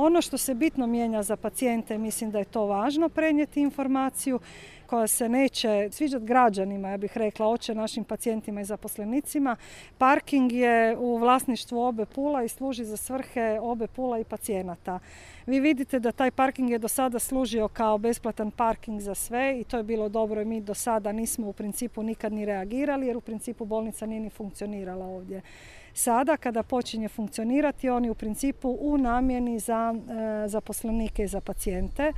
Ono što se bitno mijenja za pacijente, mislim da je to važno prenijeti informaciju koja se neće sviđati građanima, ja bih rekla, oče našim pacijentima i zaposlenicima. Parking je u vlasništvu OB Pula i služi za svrhe OB Pula i pacijenata. Vi vidite da taj parking je do sada služio kao besplatan parking za sve i to je bilo dobro i mi do sada nismo u principu nikad ni reagirali jer u principu bolnica nije ni funkcionirala ovdje. Sada kada počinje funkcionirati on je u principu u namjeni za zaposlenike i za pacijente.